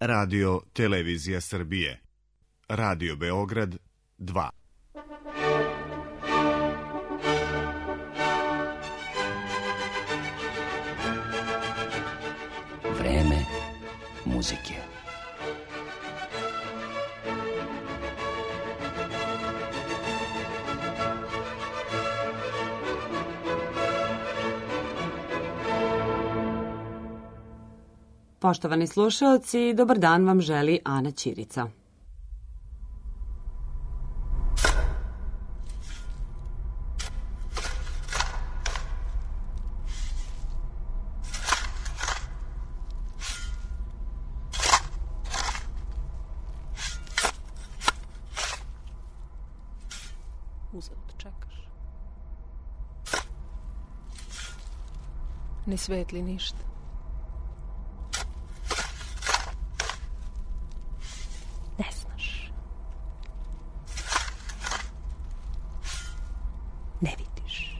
Radio Televizija Srbije, Radio Beograd 2. Vreme muzike. Poštovani slušaoci, dobar dan vam želi Ana Ćirica. Uzalud čekaš. Ne svetli ništa. Ne znaš. Ne vidiš.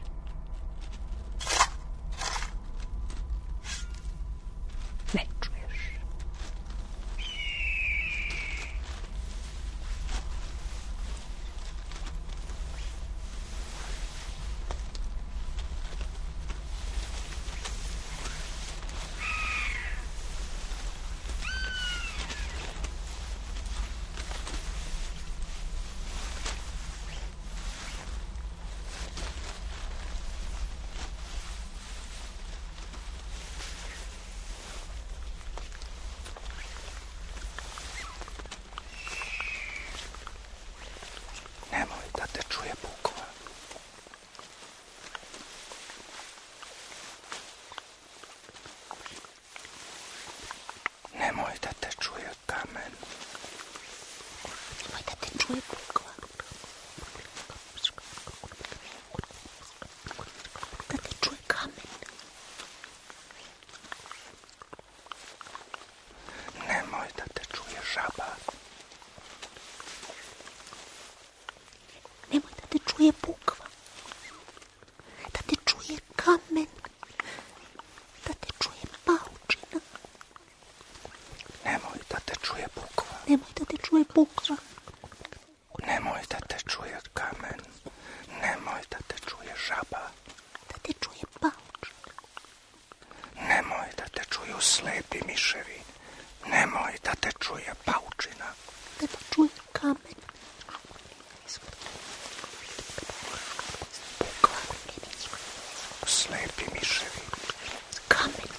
Ne čuješ. Nemoj da te čuje bukva. Nemoj da te čuje kamen. Nemoj da te čuje bukva. Da te čuje kamen. Nemoj da te čuje žaba. Nemoj da te čuje bukva, da te čuje kamen, da te čuje paučina. Nemoj da te čuje bukva. Nemoj da te čuje bukva. Nemoj da te čuje kamen, nemoj da te čuje žaba, da te čuje paučina. Nemoj da te čuju slepi miševi, nemoj da te čuje paučina. Da te čuje kamen. Slepi miševi, kamen,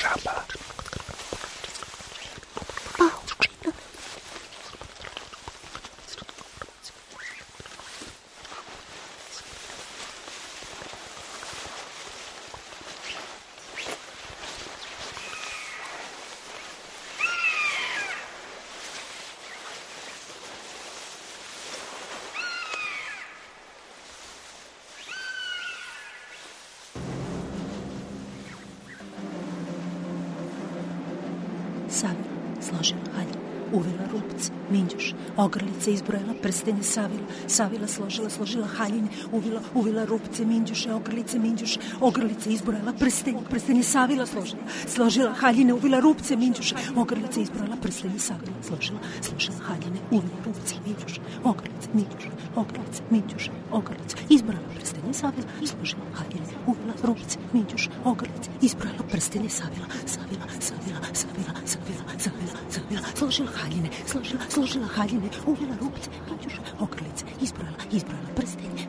žaba, paučina. Savila, složila haljin, uvela rupce, minđuš, ogrlice, izbrojila prstenje, Savila, složila haljine, uvila rupce, minđuše, ogrlice, ogrlice, izbrojila prstenje, Savila, složila haljine, uvila rupce, minđuše, ogrlice, izbrojila prstenje, Savila, složila haljine, uvila rupce, minđuše, ogrlice, izbrojila prstenje, Savila, složila haljine, uvila rupce, minđuše, ogrlice, izbrojila prstenje, Savila, složila haljine, uvila rupce, minđuše, ogrlice, izbrojila prstenje,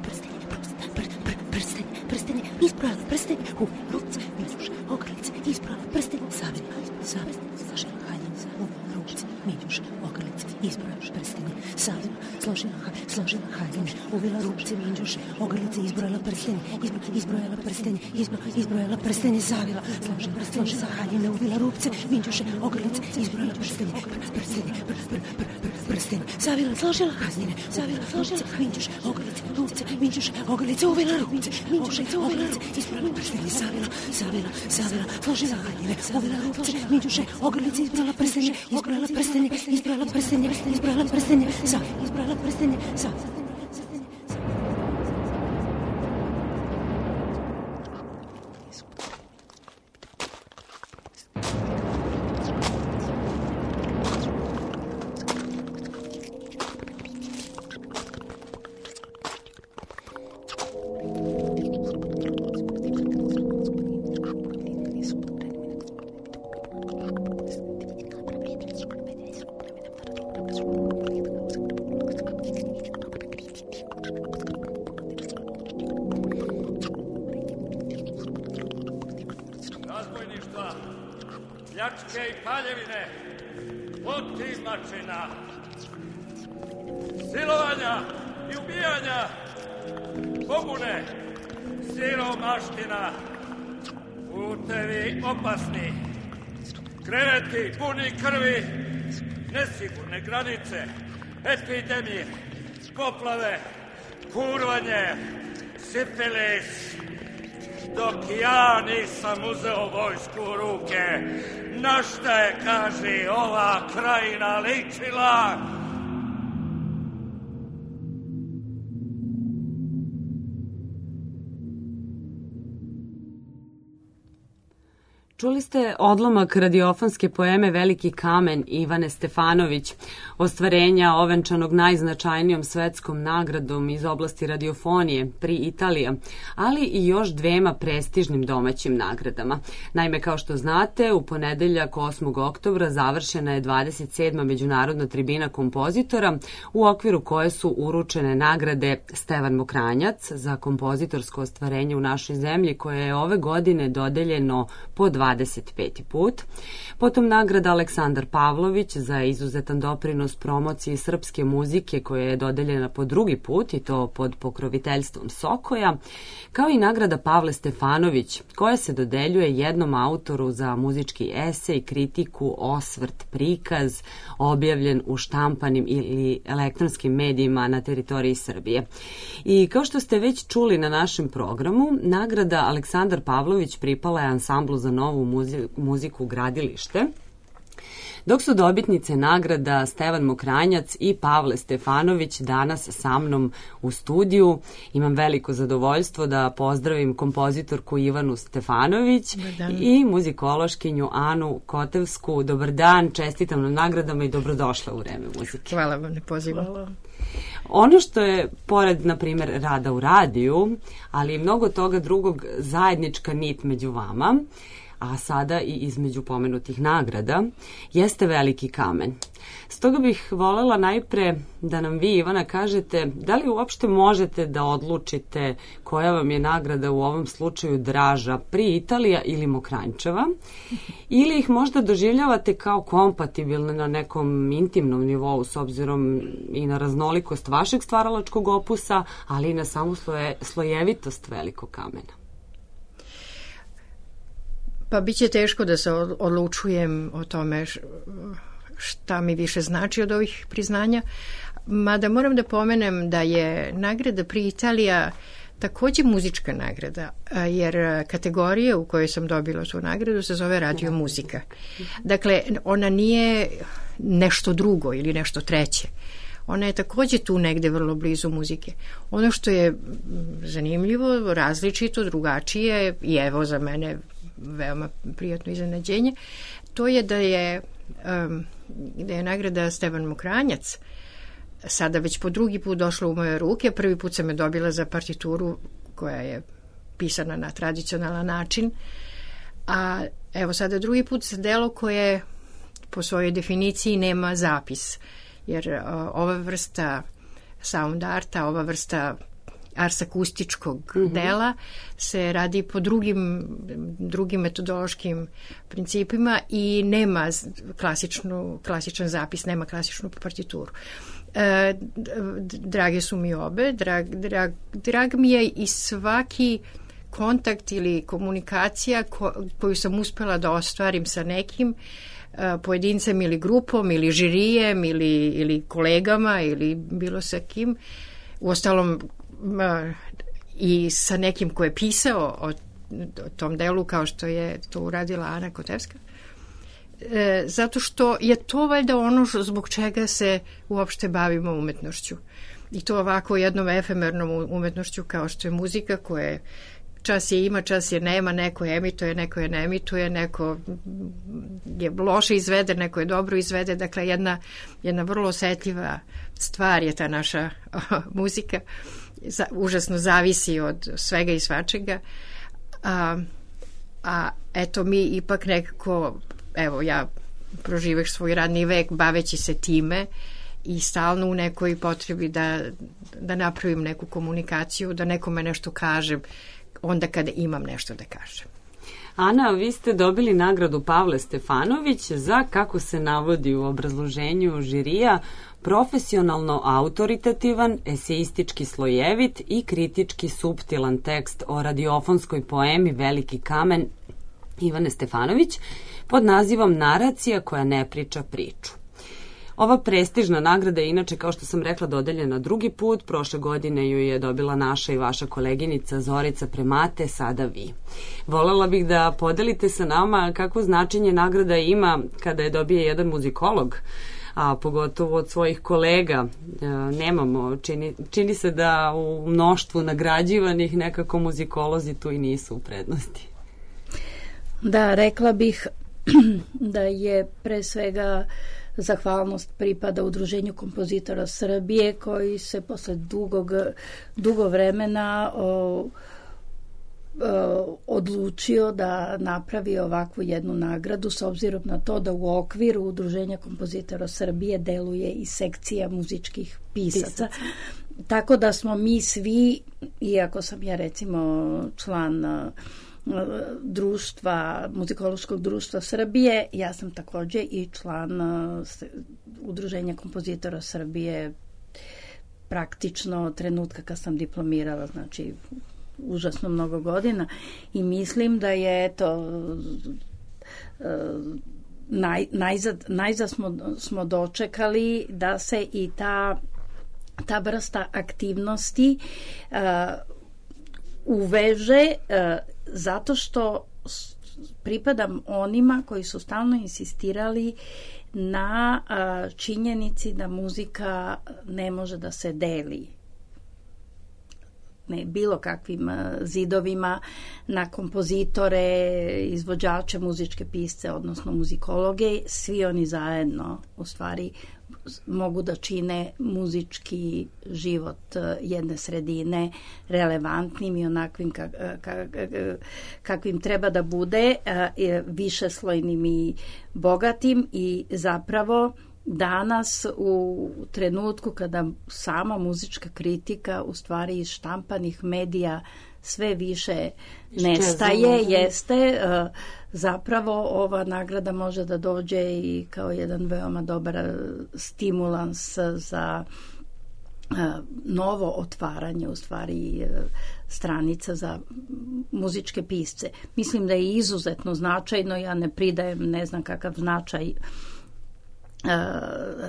izbrojila prstenje, uvila rupce, minđuše, ogrlice, izbrojila prstenje, Savila, složila haljine, uvila rupce, minđuše, ogrlice, izbrojila prstenje, Savila, složila haljine, uvila rupce, minđuše, ogrlice, izbrojila prstenje, izbrojila prstenje, Savila, složila haljine, uvila rupce, minđuše, ogrlice, izbrojila prstenje, Savila, složila haljine, minđuše, ogrlice, rupce, minđuše, ogrlice, uvila rupce, minđuše, ogrlice, izbrojila prstenje, Savila, složila haljine, uvila rupce, minđuše, ogrlice, izbrojila prstenje, izbrojila prstenje, Savila. Razbojništva, pljačke i paljevine, otimačina, silovanja i ubijanja, pobune, siromaština, putevi opasni, kreveti puni krvi, nesigurne granice, epidemije, poplave, kurvanje, sifilis. Dok ja nisam uzeo vojsku u ruke, na šta je, kaži, ova krajina ličila? Čuli ste odlomak radiofonske poeme Veliki kamen Ivane Stefanović, ostvarenja ovenčanog najznačajnijom svetskom nagradom iz oblasti radiofonije Pri Italija, ali i još dvema prestižnim domaćim nagradama. Naime, kao što znate, u ponedeljak 8. oktobra završena je 27. međunarodna tribina kompozitora, u okviru koje su uručene nagrade Stevan Mokranjac za kompozitorsko ostvarenje u našoj zemlji, koje je ove godine dodeljeno po 25. put. Potom nagrada Aleksandar Pavlović za izuzetan doprinos promociji srpske muzike, koja je dodeljena po drugi put i to pod pokroviteljstvom Sokoja, kao i nagrada Pavle Stefanović, koja se dodeljuje jednom autoru za muzički esej, kritiku, osvrt, prikaz, objavljen u štampanim ili elektronskim medijima na teritoriji Srbije. I kao što ste već čuli na našem programu, nagrada Aleksandar Pavlović pripala je ansamblu za novu muziku Gradilište, dok su dobitnice nagrada Stevan Mokranjac i Pavle Stefanović danas sa mnom u studiju. Imam veliko zadovoljstvo da pozdravim kompozitorku Ivanu Stefanović i muzikološkinju Anu Kotevsku. Dobar dan, čestitam na nagradama i dobrodošla u Vreme muzike. Hvala vam na pozivu. Ono što je, pored, na primjer, rada u radiju, ali i mnogo toga drugog, zajednička nit među vama, a sada i između pomenutih nagrada, jeste Veliki kamen. Stoga bih voljela najpre da nam vi, Ivana, kažete da li uopšte možete da odlučite koja vam je nagrada u ovom slučaju draža, Pri Italija ili Mokranjčeva, ili ih možda doživljavate kao kompatibilne na nekom intimnom nivou s obzirom i na raznolikost vašeg stvaralačkog opusa, ali i na samu slojevitost Velikog kamena. Pa bit će teško da se odlučujem o tome šta mi više znači od ovih priznanja, mada moram da pomenem da je nagrada Pri Italija takođe muzička nagrada, jer kategorija u kojoj sam dobila tu nagradu se zove radio muzika. Dakle, ona nije nešto drugo ili nešto treće. Ona je takođe tu negde vrlo blizu muzike. Ono što je zanimljivo, različito, drugačije i evo za mene veoma prijatno iznenađenje, to je da je nagrada Stevan Mokranjac sada već po drugi put došla u moje ruke. Prvi put sam je dobila za partituru koja je pisana na tradicionalan način, a evo sada drugi put za delo koje po svojoj definiciji nema zapis, jer ova vrsta sound arta, ova vrsta ars akustičkog dela se radi po drugim metodološkim principima i nema klasičan zapis, nema klasičnu partituru. Drage su mi obe, drag mi je i svaki kontakt ili komunikacija koju sam uspela da ostvarim sa nekim pojedincem ili grupom ili žirijem ili kolegama ili bilo sa kim. Uostalom i sa nekim ko je pisao o tom delu kao što je to uradila Ana Kotevska. Zato što je to valjda ono zbog čega se uopšte bavimo umetnošću. I to ovako jednom efemernom umetnošću kao što je muzika koja čas je ima, čas je nema, neko je emituje, neko je ne emituje, neko je loše izvede, neko je dobro izvede. Dakle, jedna vrlo osetljiva stvar je ta naša muzika. Užasno zavisi od svega i svačega. A eto mi ipak nekako, evo ja proživaš svoj radni vek baveći se time i stalno u nekoj potrebi da napravim neku komunikaciju, da nekome nešto kažem onda kada imam nešto da kažem. Ana, vi ste dobili nagradu Pavle Stefanović za, kako se navodi u obrazloženju žirija, profesionalno autoritativan, eseistički slojevit i kritički suptilan tekst o radiofonskoj poemi Veliki kamen Ivane Stefanović pod nazivom Naracija koja ne priča priču. Ova prestižna nagrada je inače, kao što sam rekla, dodeljena drugi put. Prošle godine ju je dobila naša i vaša koleginica Zorica Premate, sada vi. Volela bih da podelite sa nama kakvo značenje nagrada ima kada je dobije jedan muzikolog, a pogotovo od svojih kolega. Nemamo, čini se da u mnoštvu nagrađivanih nekako muzikolozi tu i nisu u prednosti. Da, rekla bih da je pre svega zahvalnost pripada Udruženju kompozitora Srbije koji se posle dugo vremena odlučio da napravi ovakvu jednu nagradu s obzirom na to da u okviru Udruženja kompozitora Srbije deluje i sekcija muzičkih pisaca. Tako da smo mi svi, iako sam ja recimo član društva, muzikološkog društva Srbije, ja sam takođe i član Udruženja kompozitora Srbije praktično trenutka kad sam diplomirala, znači užasno mnogo godina, i mislim da je najzad smo dočekali da se i ta vrsta aktivnosti uveže, zato što pripadam onima koji su stalno insistirali na činjenici da muzika ne može da se deli bilo kakvim zidovima na kompozitore, izvođače, muzičke pisce, odnosno muzikologe. Svi oni zajedno u stvari mogu da čine muzički život jedne sredine relevantnim i onakvim kakvim treba da bude, višeslojnim i bogatim, i zapravo danas u trenutku kada sama muzička kritika u stvari iz štampanih medija sve više nestaje, jeste zapravo ova nagrada može da dođe i kao jedan veoma dobar stimulans za novo otvaranje u stvari stranica za muzičke pisce. Mislim da je izuzetno značajno, ja ne pridajem ne znam kakav značaj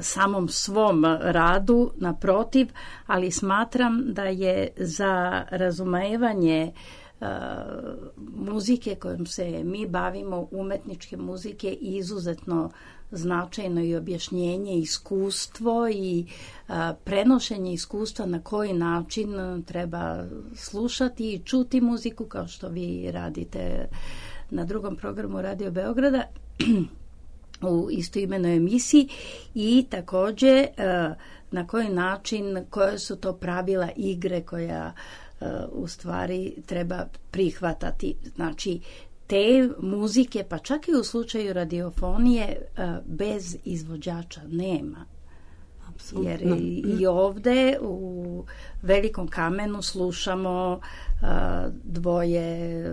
samom svom radu, naprotiv, ali smatram da je za razumevanje muzike kojom se mi bavimo, umetničke muzike, izuzetno značajno i objašnjenje, iskustvo i prenošenje iskustva na koji način treba slušati i čuti muziku, kao što vi radite na drugom programu Radio Beograda u istoimenoj emisiji, i takođe na koji način, koje su to pravila igre koja u stvari treba prihvatati. Znači, te muzike, pa čak i u slučaju radiofonije, bez izvođača nema. Jer i ovde u Velikom kamenu slušamo dvoje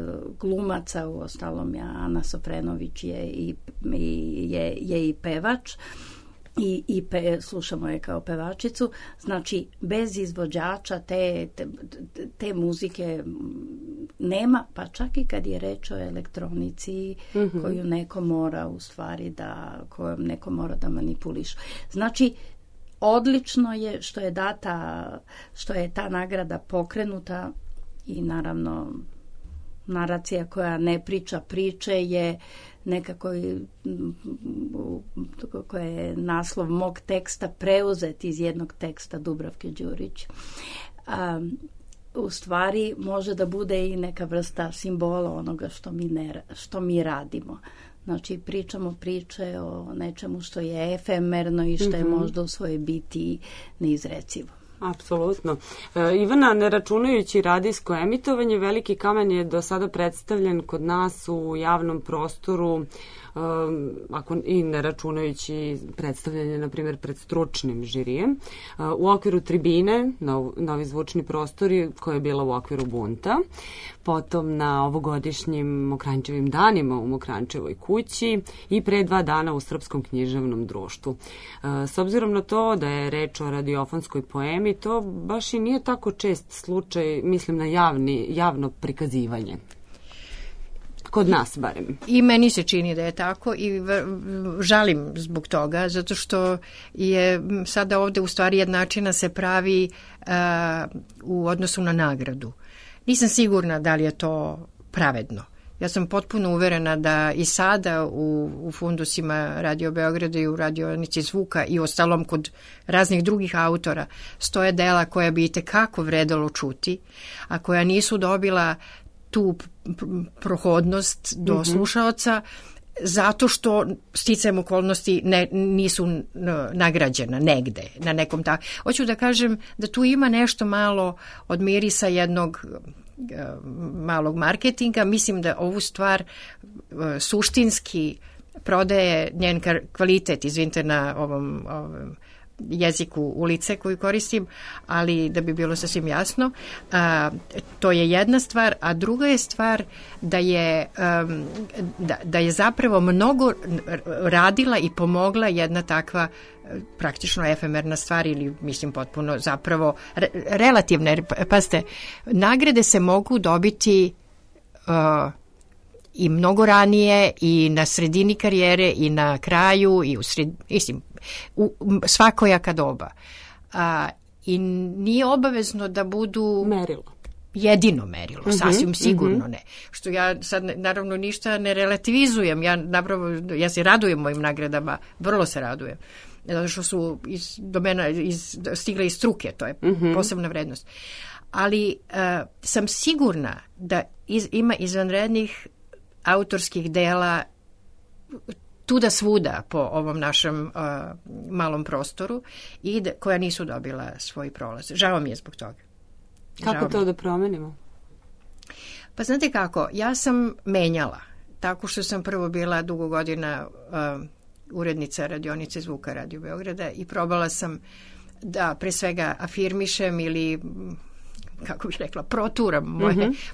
glumaca, u ostalom Ana Sofrenović je i pevač, i slušamo je kao pevačicu. Znači, bez izvođača te muzike nema, pa čak i kad je reč o elektronici koju neko mora u stvari kojom neko mora da manipuliše. Znači, odlično je što je ta nagrada pokrenuta, i naravno naracija koja ne priča priče je nekako koja je naslov mog teksta preuzet iz jednog teksta Dubravke Đurić. U stvari može da bude i neka vrsta simbola onoga što mi radimo. Znači, pričamo priče o nečemu što je efemerno i što je možda u svojoj biti neizrecivo. Apsolutno. Ivana, ne računajući radijsko emitovanje, Veliki kamen je do sada predstavljen kod nas u javnom prostoru, i ne računajući predstavljanje, na primjer, pred stručnim žirijem, u okviru tribine, novi zvučni prostori, koja je bila u okviru Bunta, potom na ovogodišnjim Mokranjčevim danima u Mokranjčevoj kući i pre 2 dana u Srpskom književnom društvu. S obzirom na to da je reč o radiofonskoj poemi, to baš i nije tako čest slučaj, mislim na javno prikazivanje. Kod nas barem. I meni se čini da je tako i žalim zbog toga, zato što je sada ovde u stvari jednačina se pravi u odnosu na nagradu. Nisam sigurna da li je to pravedno. Ja sam potpuno uverena da i sada u fundusima Radio Beograda i u radionici zvuka i ostalom kod raznih drugih autora stoje dela koja bi itekako vredelo čuti, a koja nisu dobila tu prohodnost do slušaoca zato što sticajem okolnosti nisu nagrađena negde, na nekom tako. Hoću da kažem da tu ima nešto malo od mirisa jednog malog marketinga. Mislim da ovu stvar suštinski prodaje njen kvalitet, izvinite na ovom jeziku ulice koju koristim, ali da bi bilo sasvim jasno, to je jedna stvar, a druga je stvar da je zapravo mnogo radila i pomogla jedna takva praktično efemerna stvar ili mislim potpuno zapravo relativna, jer pazite, nagrade se mogu dobiti i mnogo ranije i na sredini karijere i na kraju i u svakojaka doba. I nije obavezno da budu jedino merilo, sasvim sigurno ne. Što ja sad naravno ništa ne relativizujem, ja se radujem mojim nagradama, vrlo se radujem, zato što su stigle iz struke, to je posebna vrednost. Ali sam sigurna da ima izvanrednih autorskih dela tuda svuda po ovom našem malom prostoru i koja nisu dobila svoj prolaz. Žao mi je zbog toga. Kako to da promenimo? Pa znate kako, ja sam menjala. Tako što sam prvo bila dugo godina urednica radionice zvuka Radio Beograda i probala sam da pre svega afirmišem ili kako bih rekla, proturam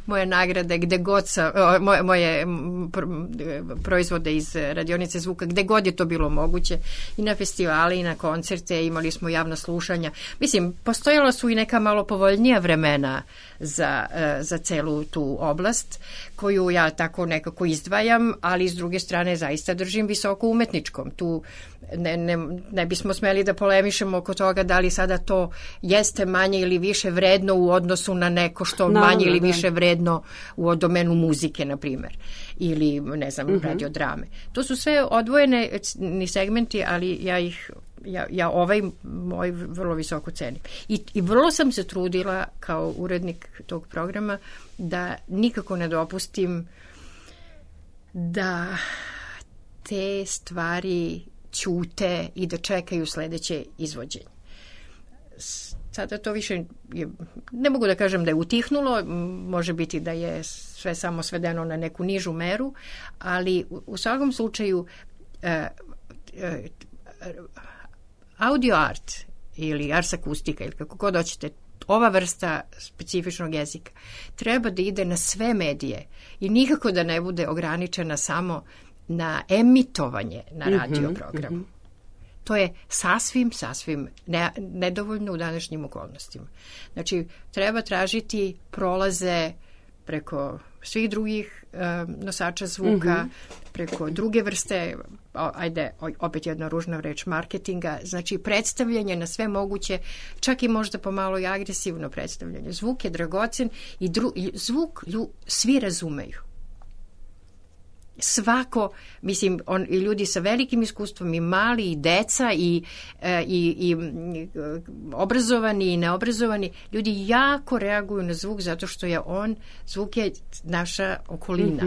moje nagrade gde god moje proizvode iz radionice zvuka, gde god je to bilo moguće, i na festivale i na koncerte, imali smo javna slušanja. Mislim, postojala su i neka malo povoljnija vremena za celu tu oblast, koju ja tako nekako izdvajam, ali s druge strane zaista držim visoko umetničkom. Tu ne bismo smeli da polemišemo oko toga da li sada to jeste manje ili više vredno u odnosu na neko što manje ili više vredno u domenu muzike, na primjer, ili, ne znam, radiodrame. To su sve odvojene segmenti, ali ja ovaj moj vrlo visoko cenim. I vrlo sam se trudila kao urednik tog programa da nikako ne dopustim da te stvari ćute i da čekaju sledeće izvođenje. Sada to više, ne mogu da kažem da je utihnulo, može biti da je sve samo svedeno na neku nižu meru, ali u svakom slučaju audio art ili ars akustika ili kako god hoćete, ova vrsta specifičnog jezika treba da ide na sve medije i nikako da ne bude ograničena samo na emitovanje na radio programu. To je sasvim nedovoljno u današnjim okolnostima. Znači, treba tražiti prolaze preko svih drugih nosača zvuka, preko druge vrste, opet jedna ružna reč, marketinga, znači predstavljanje na sve moguće, čak i možda pomalo i agresivno predstavljanje. Zvuk je dragocen i zvuk svi razumeju. Svako, mislim, i ljudi sa velikim iskustvom, i mali, i deca, i obrazovani, i neobrazovani, ljudi jako reaguju na zvuk zato što je zvuk je naša okolina.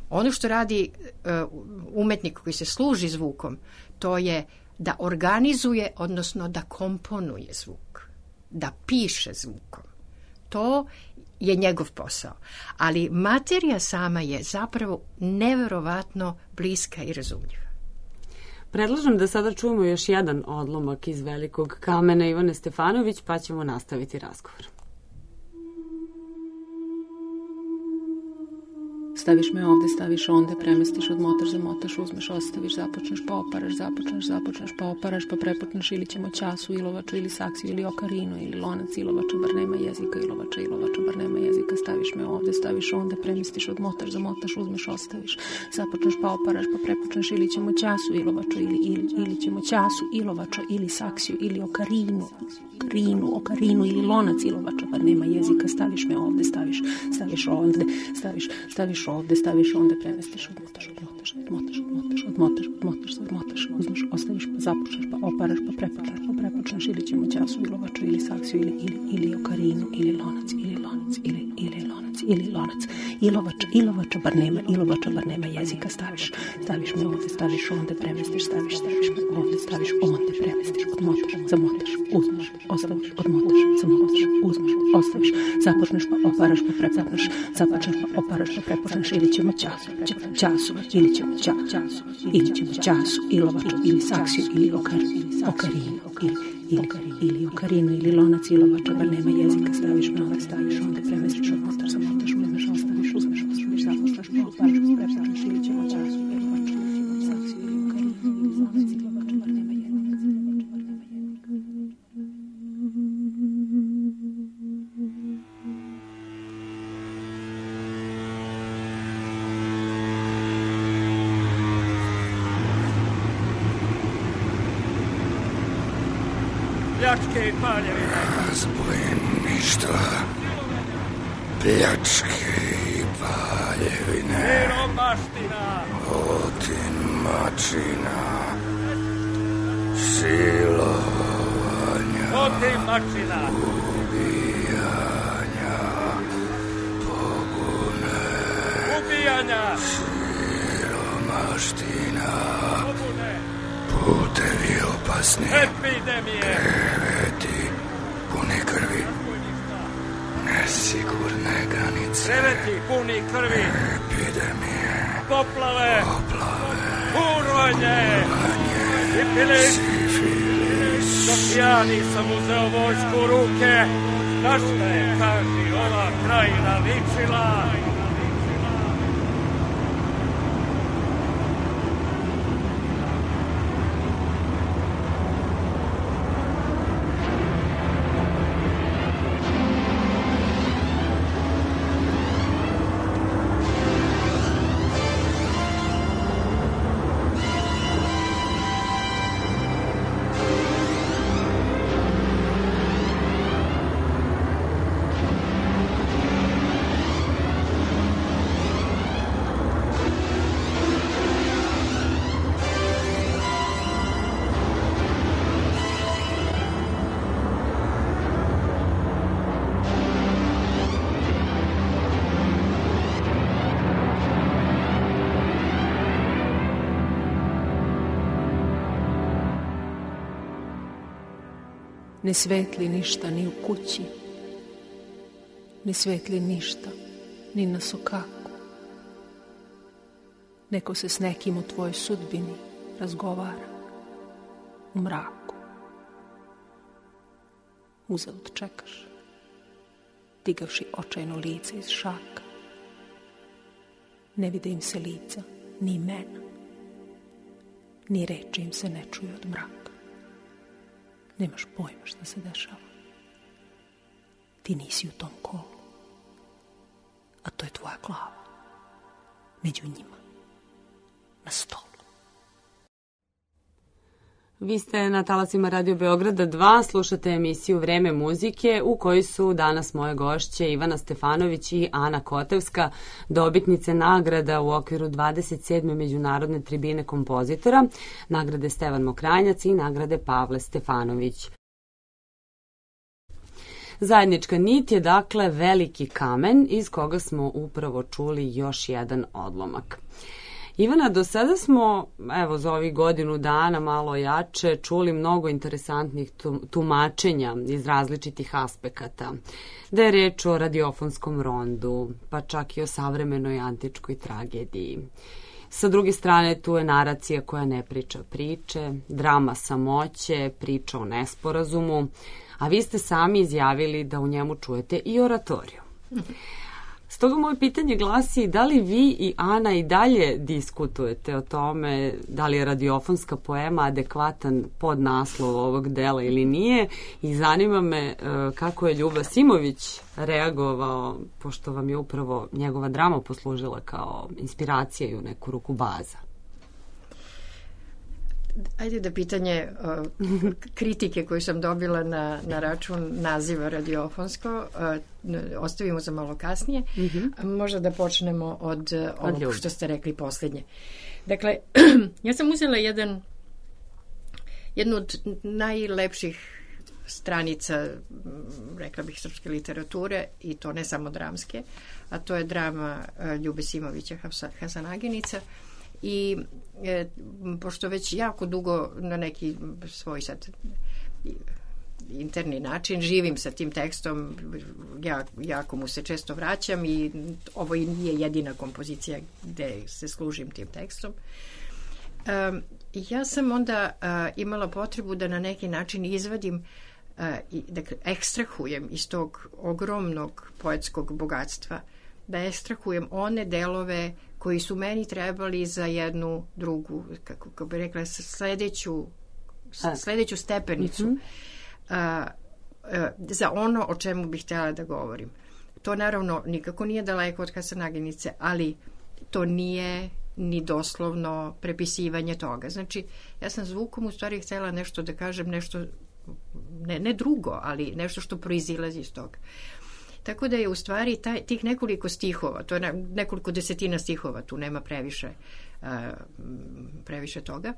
Ono što radi umetnik koji se služi zvukom, to je da organizuje, odnosno da komponuje zvuk. da piše zvukom. To je njegov posao. Ali materija sama je zapravo neverovatno bliska i razumljiva. Predlažem da sada čujemo još jedan odlomak iz Velikog kamena Ivane Stefanović, pa ćemo nastaviti razgovor. Staviš me ovde, staviš onde, premestiš, odmotaš, zamotaš, uzmeš, ostaviš, započneš, pa oparaš, započneš, pa oparaš, pa prepotneš, ili ćemo ćasu, ilovaču, ili saksiju, ili okarinu, ili lonac, ilovača, bar nema jezika, ilovača, bar nema jezika, staviš me ovde, staviš onde, premestiš, odmotaš, zamotaš, uzmeš, ostaviš, započneš, pa oparaš, pa prepotneš, ili ćemo ćasu, ilovaču, ili ćemo ćasu, ilovača, ili saksiju, ili okarinu, ili lonac, ilovača, bar nema jezika, staviš me ovde, staviš ovde, staviš onda, premestiš, odmotaš, uzmeš, ostaviš, pa započneš, pa oparaš, pa prepočneš, ili ćemo ćasu, ilovaču, ili saksiju, ili okarinu, ili lonac, ilovača, bar nema jezika, staviš me ovde, staviš onda, premestiš, staviš me ovde, staviš onda, premestiš, odmotaš, zamotaš, uzmeš, ostaviš, odmotaš, zamotaš, uzmeš, ostaviš, započneš, pa oparaš, pa prepočneš, započneš, pa oparaš, pa prepočneš, ili ćemo ćasu, ilovaču, ili saksiju, ili okarinu, ili lonac, ilovača, bar nema jezika, staviš me ovde, staviš onda, premestiš, odmotaš, zamotaš, uzmeš, ostaviš, započneš, pa oparaš, pa prepočneš, ili ćemo ćasu, ilovaču, ili saksiju, ili okarinu, ili lonac, ilovača, bar nema jezika. Pljačke i paljevine. Razbojništva, pljačke i paljevine. Siromaština. Otimačina, silovanja, otimačina, ubijanja, pobune, siromaština, putevi opasni, epidemije, kreveti puni krvi, nesigurne granice, kreveti puni krvi, epidemije, poplave, urvanje, sifilis. Dok ja nisam uzeo vojsku u ruke, na šta je, kaži, ova krajina ličila? Ne svetli ništa ni u kući, ne svetli ništa ni na sokaku. Neko se s nekim o tvojoj sudbini razgovara u mraku. Uzalud čekaš, digavši očajno lice iz šaka. Ne vide im se lica, ni imena, ni reči im se ne čuje od mraka. Nemaš pojma šta se dešava. Ti nisi u tom kolu. A to je tvoja glava. Među njima. Na stolu. Vi ste na talasima Radio Beograda 2, slušate emisiju Vreme muzike u kojoj su danas moje gošće Ivana Stefanović i Ana Kotevska, dobitnice nagrada u okviru 27. međunarodne tribine kompozitora, nagrade Stevan Mokranjac i nagrade Pavle Stefanović. Zajednička nit je dakle Veliki kamen iz koga smo upravo čuli još jedan odlomak. Ivana, do sada smo, evo, za ovih godinu dana malo jače, čuli mnogo interesantnih tumačenja iz različitih aspekata. Da je reč o radiofonskom rondu, pa čak i o savremenoj antičkoj tragediji. Sa druge strane, tu je naracija koja ne priča priče, drama samoće, priča o nesporazumu, a vi ste sami izjavili da u njemu čujete i oratoriju. Stoga moje pitanje glasi, da li vi i Ana i dalje diskutujete o tome da li je radiofonska poema adekvatan podnaslov ovog dela ili nije, i zanima me kako je Ljuba Simović reagovao, pošto vam je upravo njegova drama poslužila kao inspiracija i u neku ruku baza. Ajde da pitanje kritike koju sam dobila na račun naziva radiofonsko ostavimo za malo kasnije. Možda da počnemo od ovog što ste rekli posljednje. Dakle, ja sam uzela jednu od najlepših stranica, rekla bih, srpske literature, i to ne samo dramske, a to je drama Ljube Simovića Hasanaginica. I pošto već jako dugo na neki svoj sad interni način živim sa tim tekstom, jako mu se često vraćam i ovo i nije jedina kompozicija gde se služim tim tekstom. Ja sam onda imala potrebu da na neki način izvadim, dakle, ekstrahujem iz tog ogromnog poetskog bogatstva, da ekstrahujem one delove koji su meni trebali za jednu drugu, kako bi rekla, sledeću stepenicu, za ono o čemu bih htjela da govorim. To naravno nikako nije daleko od Hasanaginice, ali to nije ni doslovno prepisivanje toga. Znači, ja sam zvukom u stvari htjela nešto da kažem, nešto, ne drugo, ali nešto što proizilazi iz toga. Tako da je u stvari tih nekoliko stihova, to je nekoliko desetina stihova, tu nema previše toga.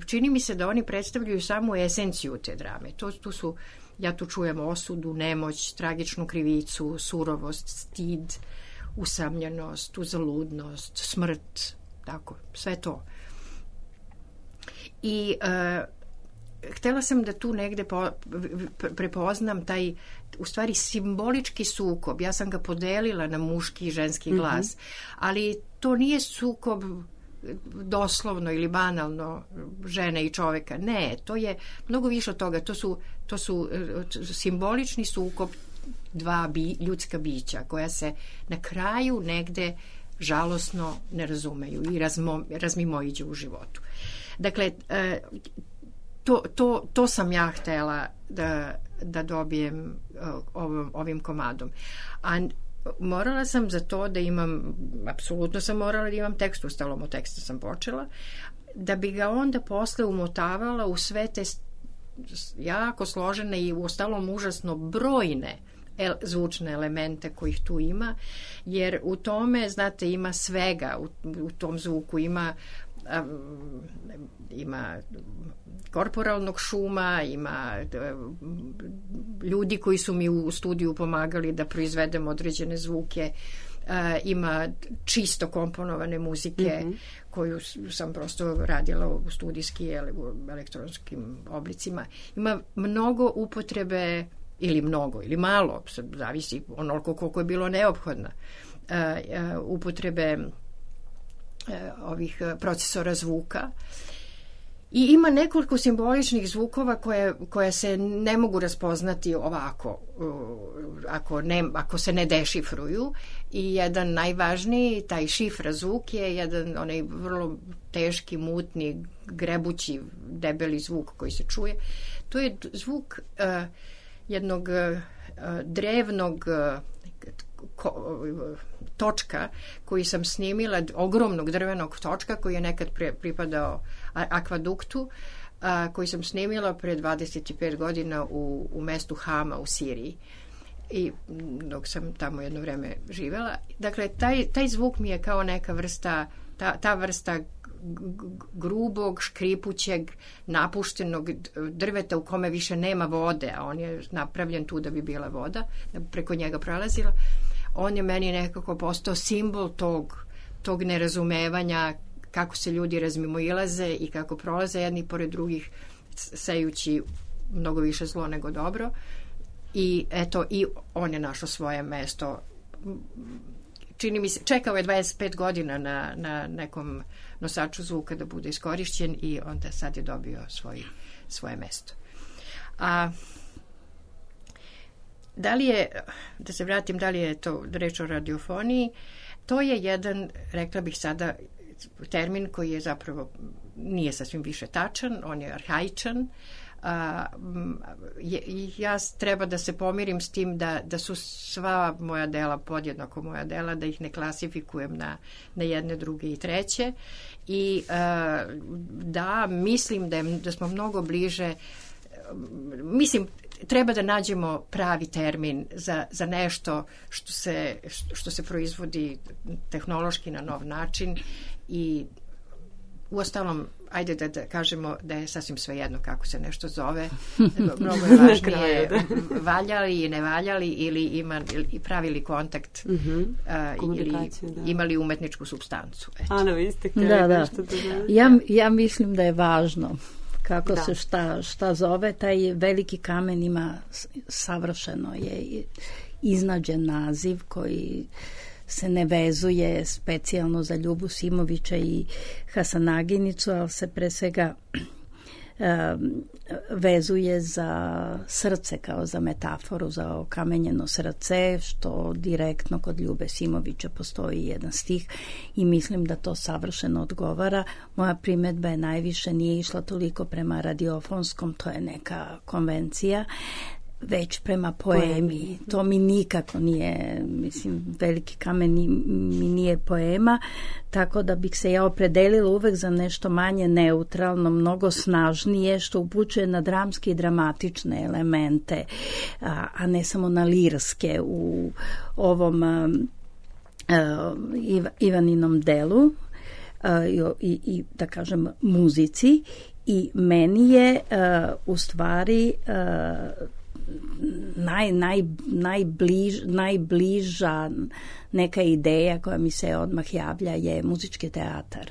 Čini mi se da oni predstavljaju samu esenciju te drame. Ja tu čujem osudu, nemoć, tragičnu krivicu, surovost, stid, usamljenost, uzaludnost, smrt, tako, sve to. I htjela sam da tu negde prepoznam taj, u stvari, simbolički sukob. Ja sam ga podelila na muški i ženski glas, ali to nije sukob doslovno ili banalno žene i čoveka. Ne, to je mnogo više od toga. To su simbolični sukob dva ljudska bića koja se na kraju negde žalosno ne razumeju i razmimoiđu u životu. Dakle, to sam ja htjela da dobijem ovim komadom. A morala sam za to da imam, apsolutno sam morala da imam tekst, ustalom od teksta sam počela, da bi ga onda posle umotavala u sve te jako složene i ustalom užasno brojne zvučne elemente kojih tu ima, jer u tome, znate, ima svega, u tom zvuku ima korporalnog šuma, ima ljudi koji su mi u studiju pomagali da proizvedem određene zvuke, ima čisto komponovane muzike koju sam prosto radila u studijski ili u elektronskim oblicima. Ima mnogo upotrebe, ili mnogo ili malo, zavisi onoliko koliko je bilo neophodna, upotrebe ovih procesora zvuka. I ima nekoliko simboličnih zvukova koje se ne mogu raspoznati ovako, ako se ne dešifruju. I jedan najvažniji, taj šifra zvuk, je jedan onaj vrlo teški, mutni, grebući, debeli zvuk koji se čuje. To je zvuk jednog drevnog točka koji sam snimila, ogromnog drvenog točka koji je nekad pripadao akvaduktu, koji sam snimila pre 25 godina u mestu Hama u Siriji, i dok sam tamo jedno vreme živela. Dakle, taj zvuk mi je kao neka vrsta, ta vrsta grubog, škripućeg, napuštenog drveta u kome više nema vode, a on je napravljen tu da bi bila voda, da bi preko njega prolazila. On je meni nekako postao simbol tog nerazumevanja kako se ljudi razmimoilaze i kako prolaze jedni pored drugih, sejući mnogo više zlo nego dobro. I eto, i on je našao svoje mesto. Čini mi se, čekao je 25 godina na nekom nosaču zvuka da bude iskorišćen i onda sad je dobio svoje mesto. A da li je, da se vratim, da li je to reč o radiofoniji, to je jedan, rekla bih sada, termin koji je zapravo nije sasvim više tačan, on je arhaičan. Ja treba da se pomirim s tim da su sva moja dela podjednako moja dela, da ih ne klasifikujem na jedne, druge i treće i da mislim da smo mnogo bliže, mislim treba da nađemo pravi termin za nešto što se proizvodi tehnološki na nov način i uostalom, ajde da kažemo da je sasvim svejedno kako se nešto zove. Mnogo je važnije valjali i ne valjali ili pravili kontakt ili imali umetničku supstancu. Ana, vi ste ja mislim da je važno kako se šta zove. Taj veliki kamen ima savršeno je iznađen naziv koji se ne vezuje specijalno za Ljubu Simovića i Hasanaginicu, ali se pre svega vezuje za srce kao za metaforu, za okamenjeno srce, što direktno kod Ljube Simovića postoji jedan stih i mislim da to savršeno odgovara. Moja primedba je najviše nije išla toliko prema radiofonskom, to je neka konvencija, već prema poemi. To mi nikako nije, mislim, veliki kamen mi nije poema, tako da bih se ja opredelila uvek za nešto manje neutralno, mnogo snažnije, što upućuje na dramske i dramatične elemente, a ne samo na lirske u ovom Ivaninom delu i da kažem muzici. I meni je u stvari najbliža neka ideja koja mi se odmah javlja je muzički teatar.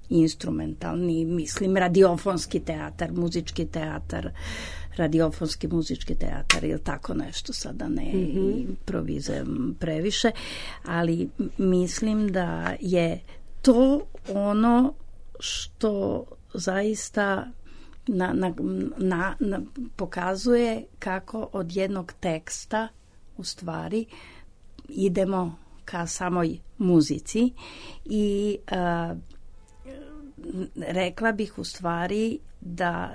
Instrumentalni, mislim, radiofonski teatar, muzički teatar, radiofonski muzički teatar ili tako nešto, sada ne improvizujem previše, ali mislim da je to ono što zaista pokazuje kako od jednog teksta u stvari idemo ka samoj muzici i rekla bih u stvari da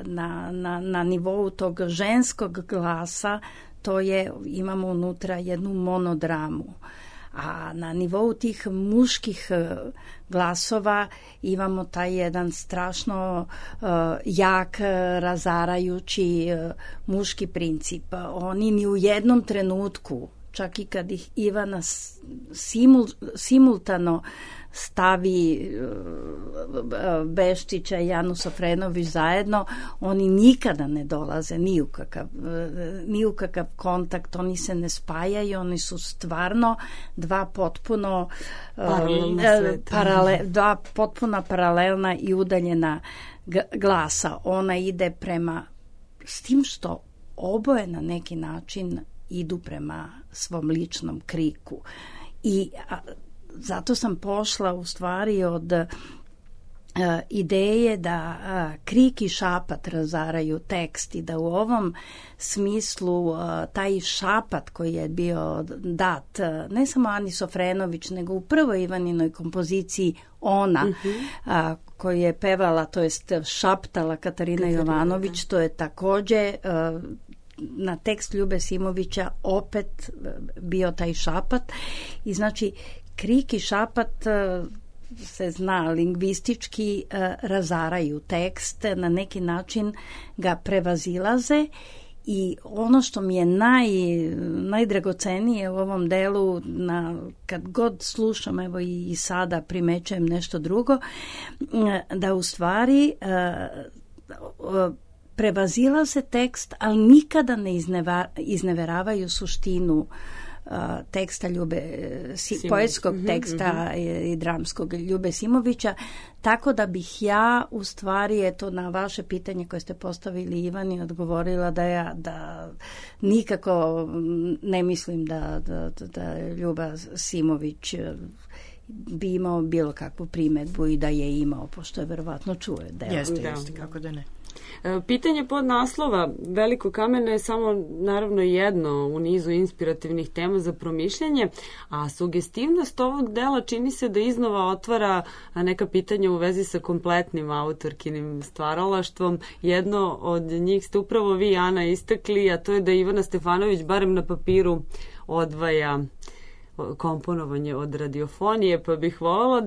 na nivou tog ženskog glasa to je, imamo unutra jednu monodramu, a na nivou tih muških glasova imamo taj jedan strašno jak, razarajući muški princip. Oni ni u jednom trenutku, čak i kad ih Ivana simultano stavi Beštića i Janu Sofrenović zajedno, oni nikada ne dolaze ni u kakav kontakt, oni se ne spajaju, oni su stvarno dva potpuno dva potpuno paralelna i udaljena glasa. Ona ide prema, s tim što oboje na neki način idu prema svom ličnom kriku. I zato sam pošla u stvari od ideje da krik i šapat razaraju tekst i da u ovom smislu taj šapat koji je bio dat ne samo Ani Sofrenović nego u prvoj Ivaninoj kompoziciji Ona koju je pevala, to jest šaptala Katarina Jovanović, to je takođe na tekst Ljube Simovića opet bio taj šapat i znači krik i šapat se zna lingvistički razaraju tekst, na neki način ga prevazilaze i ono što mi je najdragocenije u ovom delu, kad god slušam, evo i sada primećujem nešto drugo, da u stvari prevazilaze tekst, ali nikada ne izneveravaju suštinu teksta poetskog teksta i dramskog Ljube Simovića, tako da bih ja u stvari, eto, na vaše pitanje koje ste postavili Ivani, odgovorila da nikako ne mislim da Ljuba Simović bi imao bilo kakvu primedbu i da je imao, pošto je verovatno čuje. Jeste, kako da ne. Pitanje pod naslova Veliko kamene je samo naravno jedno u nizu inspirativnih tema za promišljanje, a sugestivnost ovog dela čini se da iznova otvara neka pitanja u vezi sa kompletnim autorkinim stvaralaštvom. Jedno od njih ste upravo vi, Ana, istakli, a to je da Ivana Stefanović barem na papiru odvaja komponovanje od radiofonije, pa bih voljela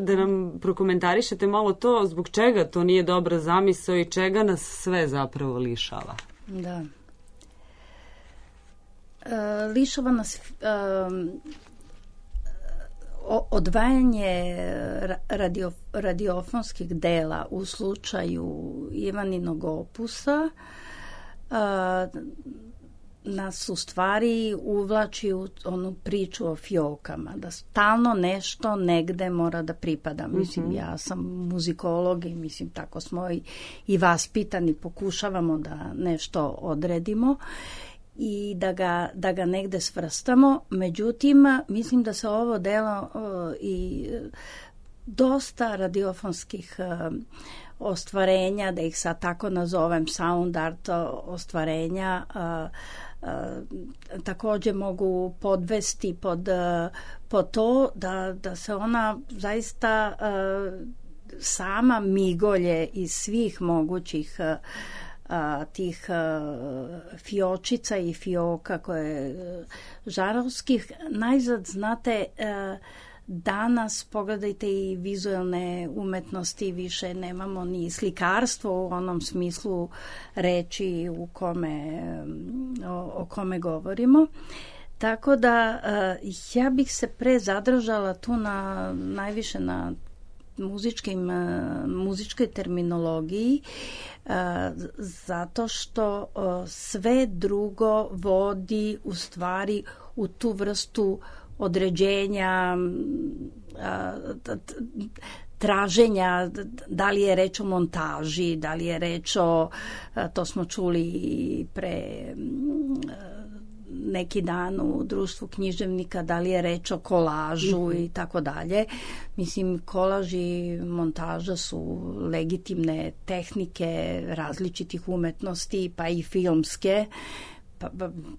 da nam prokomentarišete malo to, zbog čega to nije dobra zamisao i čega nas sve zapravo lišava. Da. Lišava nas odvajanje radiofonskih dela u slučaju Ivaninog opusa nas u stvari uvlači u onu priču o fiokama, da stalno nešto negde mora da pripada. Mislim, ja sam muzikolog i mislim tako smo i vaspitani, pokušavamo da nešto odredimo i da ga negde svrstamo. Međutim, mislim da se ovo delo i dosta radiofonskih ostvarenja, da ih sad tako nazovem, sound art ostvarenja, također mogu podvesti pod to da se ona zaista sama migolje iz svih mogućih tih fiočica i fioka koje žarovskih. Najzad, znate, danas pogledajte i vizualne umetnosti, više nemamo ni slikarstvo u onom smislu reči o kome govorimo. Tako da ja bih se pre zadržala tu najviše na muzičkoj terminologiji, zato što sve drugo vodi u stvari u tu vrstu određenja, traženja, da li je reč o montaži, da li je reč o, to smo čuli pre neki dan u društvu književnika, da li je reč o kolažu i tako dalje. Mislim, kolaž i montaža su legitimne tehnike različitih umetnosti, pa i filmske.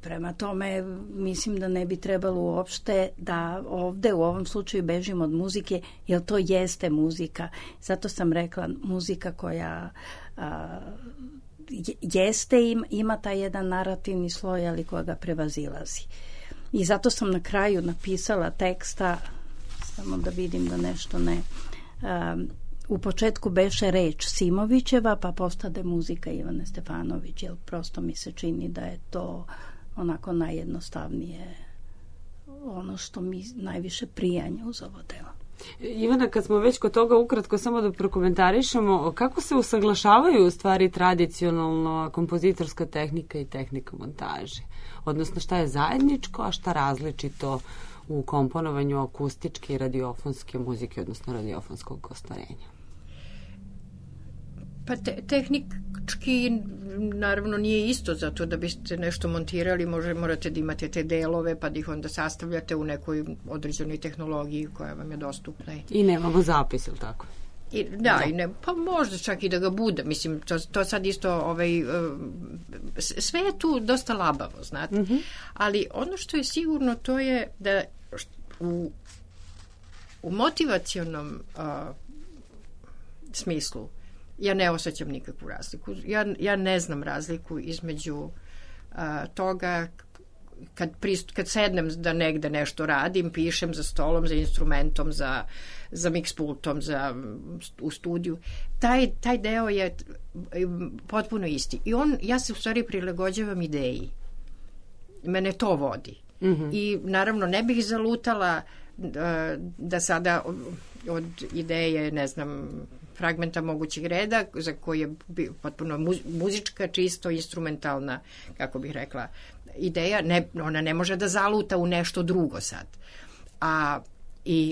Prema tome, mislim da ne bi trebalo uopšte da ovde u ovom slučaju bežimo od muzike, jer to jeste muzika. Zato sam rekla, muzika koja jeste, ima taj jedan narativni sloj, ali koja ga prevazilazi. I zato sam na kraju napisala teksta, samo da vidim da nešto ne... U početku beše reč Simovićeva, pa postade muzika Ivane Stefanović, jer prosto mi se čini da je to onako najjednostavnije, ono što mi najviše prijanje uz ovo delo. Ivana, kad smo već kod toga, ukratko samo da prokomentarišemo, kako se usaglašavaju u stvari tradicionalno kompozitorska tehnika i tehnika montaže? Odnosno, šta je zajedničko, a šta različito u komponovanju akustičke i radiofonske muzike, odnosno radiofonskog ostvarenja? Pa tehnički naravno nije isto, zato da biste nešto montirali morate da imate te delove pa da ih onda sastavljate u nekoj određenoj tehnologiji koja vam je dostupna. I nemamo zapis, ili tako? Pa možda čak i da ga bude. Mislim, to sad isto sve je tu dosta labavo, znate. Ali ono što je sigurno to je da u motivacionom smislu ja ne osjećam nikakvu razliku. Ja ne znam razliku između toga kad sednem da negde nešto radim, pišem za stolom, za instrumentom, za mix-pultom, u studiju. Taj deo je potpuno isti. I ja se u stvari prilagođavam ideji. Mene to vodi. I naravno ne bih zalutala da sada od ideje, ne znam, fragmenta mogućeg reda, za koji je potpuno muzička, čisto instrumentalna, kako bih rekla, ideja. Ona ne može da zaluta u nešto drugo sad.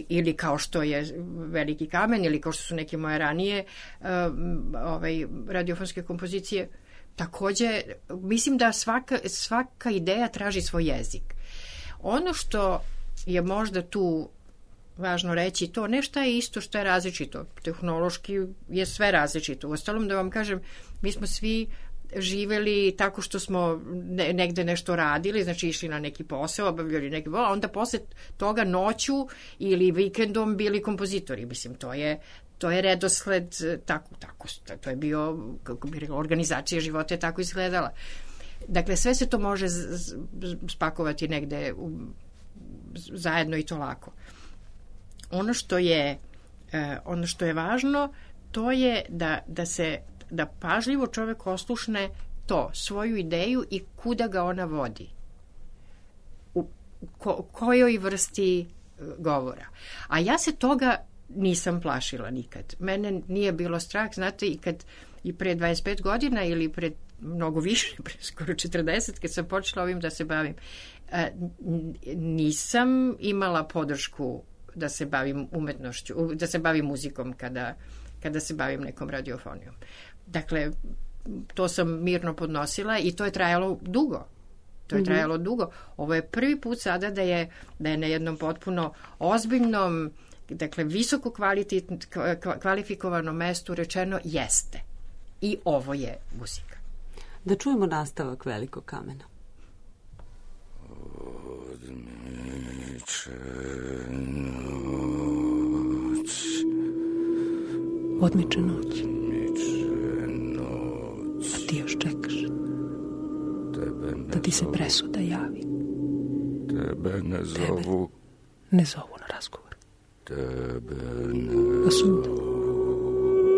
Ili kao što je Veliki kamen, ili kao što su neke moje ranije radiofonske kompozicije. Takođe, mislim da svaka ideja traži svoj jezik. Ono što je možda tu važno reći, to ne šta je isto, šta je različito. Tehnološki je sve različito. Uostalom, da vam kažem, mi smo svi živeli tako što smo negde nešto radili, znači išli na neki posao, obavljali neki posao, a onda posle toga noću ili vikendom bili kompozitori. Mislim, to je redosled tako, to je bio, kako bih rekla, organizacija života je tako izgledala. Dakle, sve se to može spakovati negde zajedno i to lako. Ono što je važno, to je da pažljivo čovek oslušne svoju ideju i kuda ga ona vodi. U kojoj vrsti govora. A ja se toga nisam plašila nikad. Mene nije bilo strah, znate, i pre 25 godina ili pred mnogo više, pre skoro 40, kad sam počela ovim da se bavim, nisam imala podršku da se bavim umetnošću, da se bavim muzikom kada se bavim nekom radiofonijom. Dakle, to sam mirno podnosila i to je trajalo dugo. Ovo je prvi put sada da je na jednom potpuno ozbiljnom, dakle, visoko kvalifikovanom mestu rečeno jeste. I ovo je muzika. Da čujemo nastavak Velikog kamena. Odmiče noć. A ti još čekaš da ti se presuda javi. Tebe ne zovu. Ne zovu na razgovor. A suda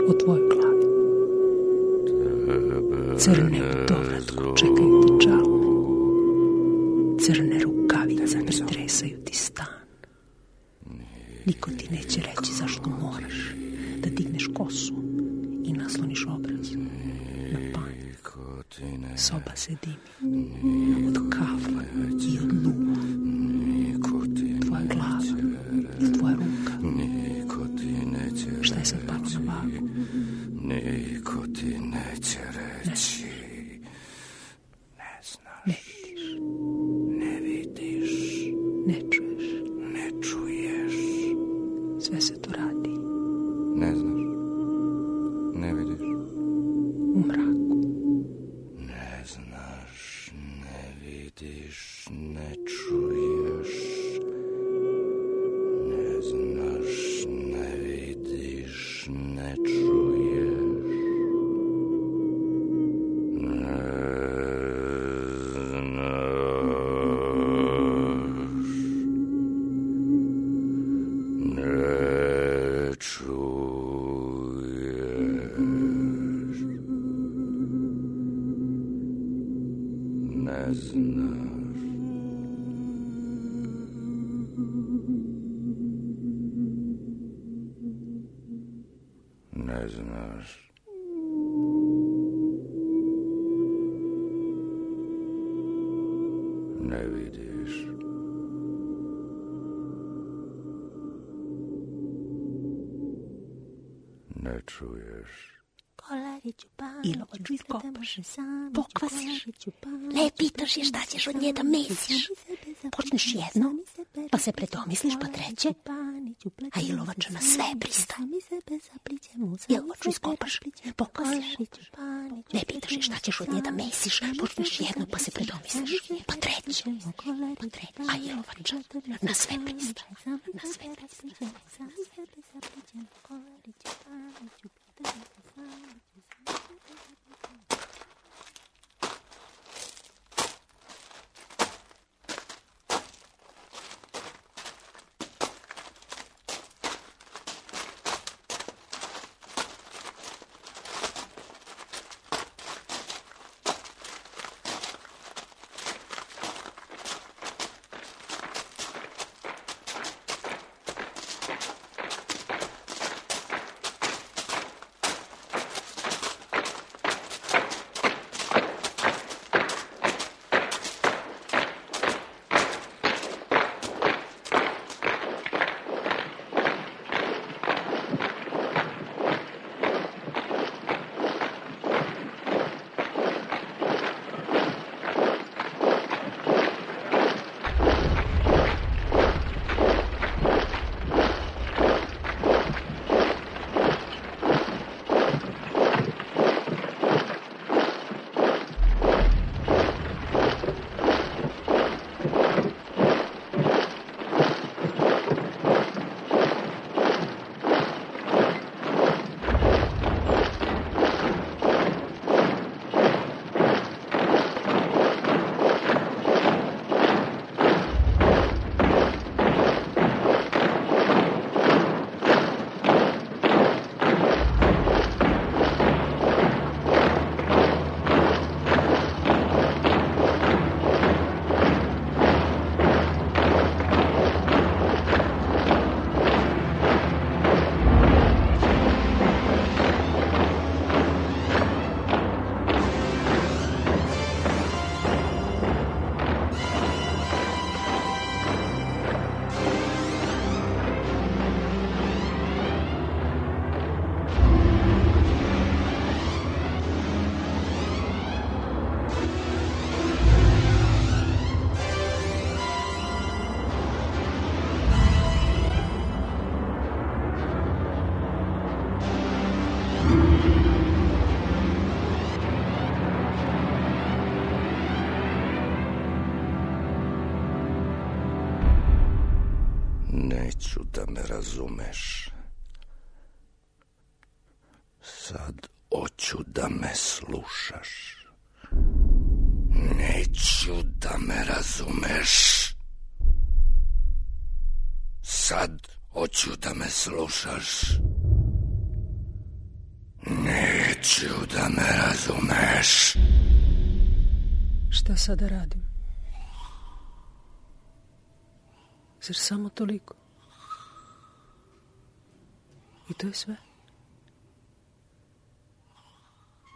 u tvojoj glavi. Crne dovratko čekaju ti čalu. Crne rukavice pretresaju ti stan. Niko ti neće reći zašto moraš da digneš kosu i nasloniš obraz na panj. Soba se dimi od kafa i od luva. Tvoja glava i tvoja ruka. Šta je sad palo na vagu? Niko ti neće reći. Ne znaš. Ne vidiš. Ne čuješ. Ne čuješ. Sve se to radi. Ne znaš. Ne vidiš. U mraku. Ne znaš, ne vidiš, ne čuješ. Ne znaš, ne vidiš, ne čuješ. Ne znaš. Ne vidiš. Ne čuješ. Ilovaču iskopaš, pokvasiš, lepitaš je šta ćeš od nje da mesiš. Počneš jedno, pa se predomisliš, pa treće, a ilovača na sve pristaje. Ilovaču iskopaš, pokvasiš, lepitaš je šta ćeš od nje da mesiš. Počneš jedno, pa se predomisliš, pa treće, a ilovača na sve pristaje. Na sve pristaje. Neću da me razumeš. Sad hoću da me slušaš. Neću da me razumeš. Sad hoću da me slušaš. Neću da me razumeš. Šta sada radim? Zar samo toliko? I to je sve?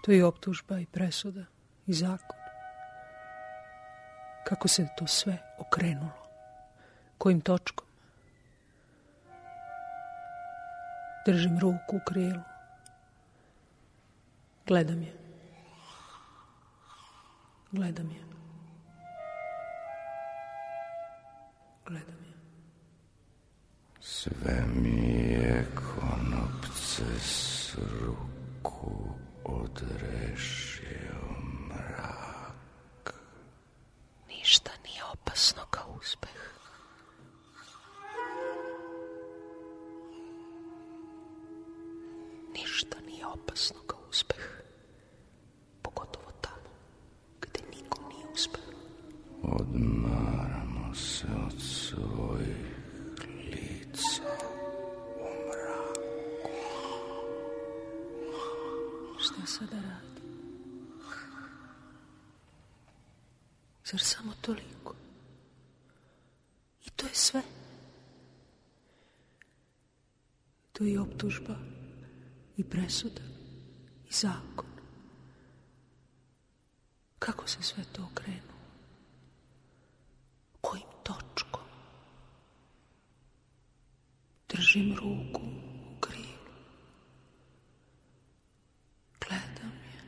To je i optužba i presuda i zakon. Kako se to sve okrenulo? Kojim točkom? Držim ruku u krilu. Gledam je. Gledam je. Gledam je. Sve mi je konopce s ruku odrešio mrak. Ništa nije opasno kao uspeh. Ništa nije opasno kao uspeh. Pogotovo tamo gde nikom nije uspeh. Odmaramo se od svojih lica u mraku. Šta sada radi? Zar samo toliko? I to je sve. To je i optužba, i presuda, i zakon. Kako se sve to okrenulo? Kojim točkom? Držim ruku u krilu. Gledam je.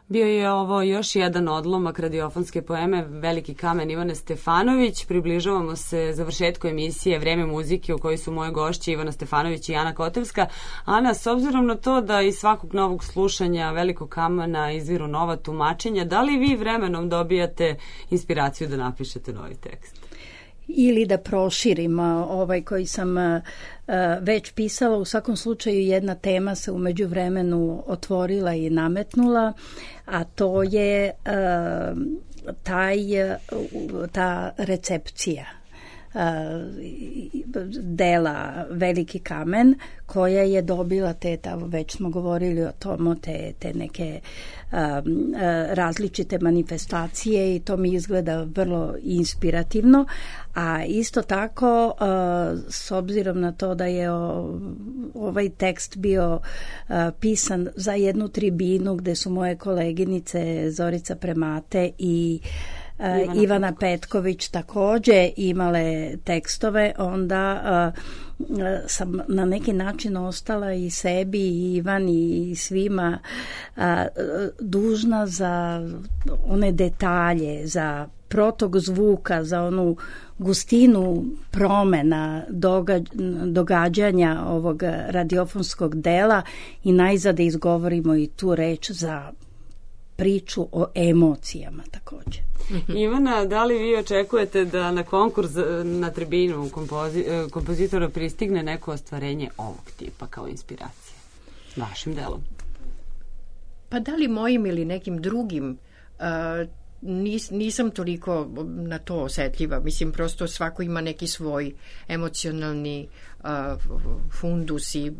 Bio je ovo još jedan odlomak radiofonske poeme Veliki kamen Ivane Stefanović. Približavamo se završetku emisije Vreme muzike u kojoj su moje gošće Ivana Stefanović i Ana Kotevska. Ana, s obzirom na to da iz svakog novog slušanja Velikog kamena izviru nova tumačenja, da li vi vremenom dobijate inspiraciju da napišete novi tekst? Ili da proširim ovaj koji sam već pisala. U svakom slučaju jedna tema se u međuvremenu otvorila i nametnula, a to je ta recepcija dela Veliki kamen, koja je dobila već smo govorili o tomu, te neke različite manifestacije i to mi izgleda vrlo inspirativno, a isto tako s obzirom na to da je ovaj tekst bio pisan za jednu tribinu gde su moje koleginice Zorica Premate i Ivana Petković takođe imale tekstove, onda sam na neki način ostala i sebi i Ivani i svima dužna za one detalje, za protok zvuka, za onu gustinu promena događanja ovog radiofonskog dela i najzad da izgovorimo i tu reč za priču o emocijama takođe. Ivana, da li vi očekujete da na konkurs na tribinu kompozitora pristigne neko ostvarenje ovog tipa kao inspiracija vašim delom? Pa da li mojim ili nekim drugim, nisam toliko na to osetljiva. Mislim, prosto svako ima neki svoj emocionalni fundus i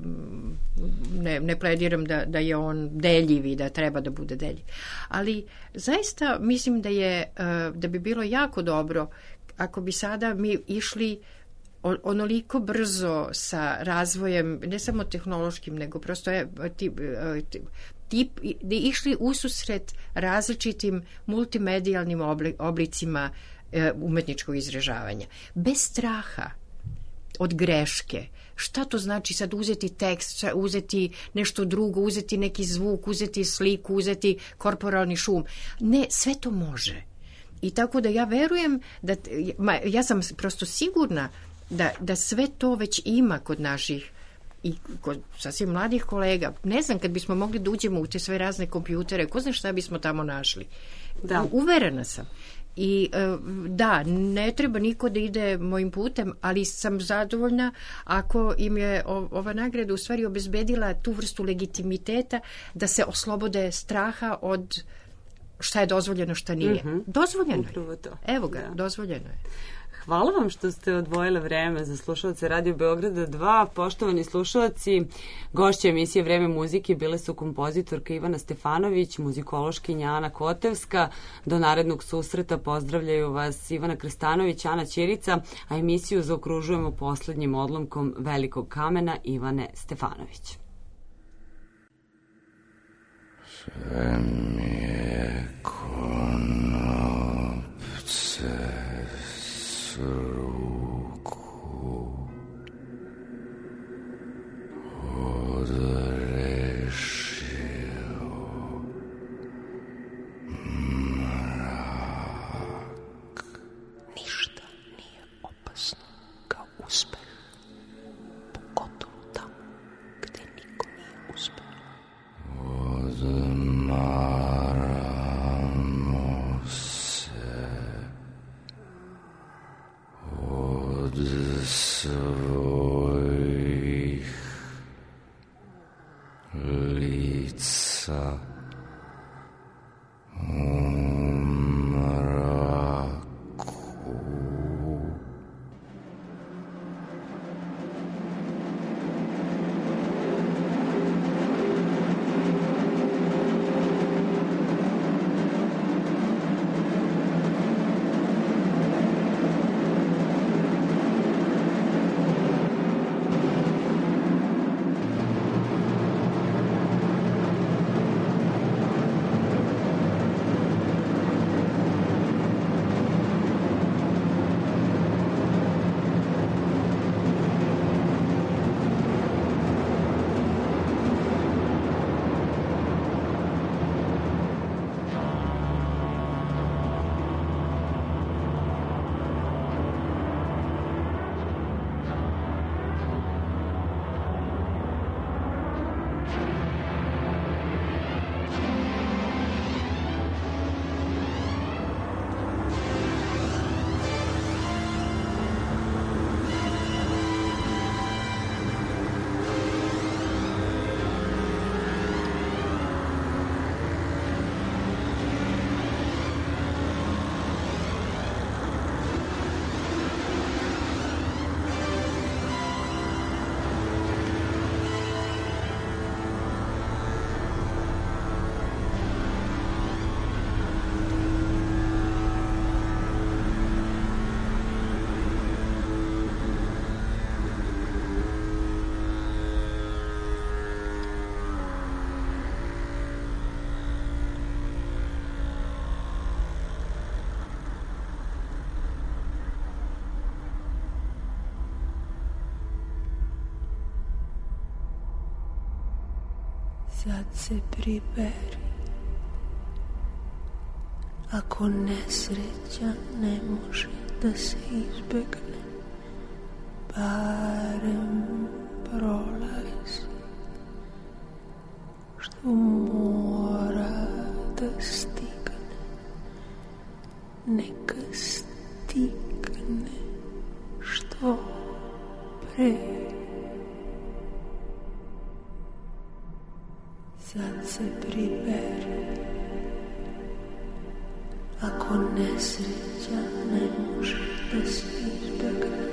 ne plediram da je on deljiv i da treba da bude deljiv. Ali zaista mislim da bi bilo jako dobro ako bi sada mi išli onoliko brzo sa razvojem, ne samo tehnološkim, nego prosto da išli ususret različitim multimedijalnim oblicima umetničkog izražavanja. Bez straha od greške. Šta to znači sad uzeti tekst, uzeti nešto drugo, uzeti neki zvuk, uzeti sliku, uzeti korporalni šum? Ne, sve to može. I tako da ja verujem ja sam prosto sigurna da sve to već ima kod naših i kod sasvim mladih kolega. Ne znam, kad bismo mogli da uđemo u te sve razne kompjutere, ko zna šta bismo tamo našli. Da. Uverena sam. I da, ne treba niko da ide mojim putem, ali sam zadovoljna ako im je ova nagrada u stvari obezbedila tu vrstu legitimiteta da se oslobode straha od šta je dozvoljeno, šta nije. Dozvoljeno je. Evo ga, dozvoljeno je. Hvala vam što ste odvojile vreme za slušalce Radio Beograda 2. Poštovani slušalci, gošće emisije Vreme muzike bile su kompozitorka Ivana Stefanović, muzikološkinja Ana Kotevska. Do narednog susreta pozdravljaju vas Ivana Krstanović, Ana Ćirica, a emisiju zaokružujemo poslednjim odlomkom Velikog kamena Ivane Stefanović. Sve mi je konopce ruku odrešio mrak. Ništa nije opasno kao uspeh, pogotovo tamo gde niko nije uspeh. Odmaramo se od svojih lica u mraku. Sad se priberi, ako nesreća ne može da se izbegne, barem prolazi, što mora da stigne, neka stigne što pre. Sad se priberi, ako nesreća ne može da se izbegne,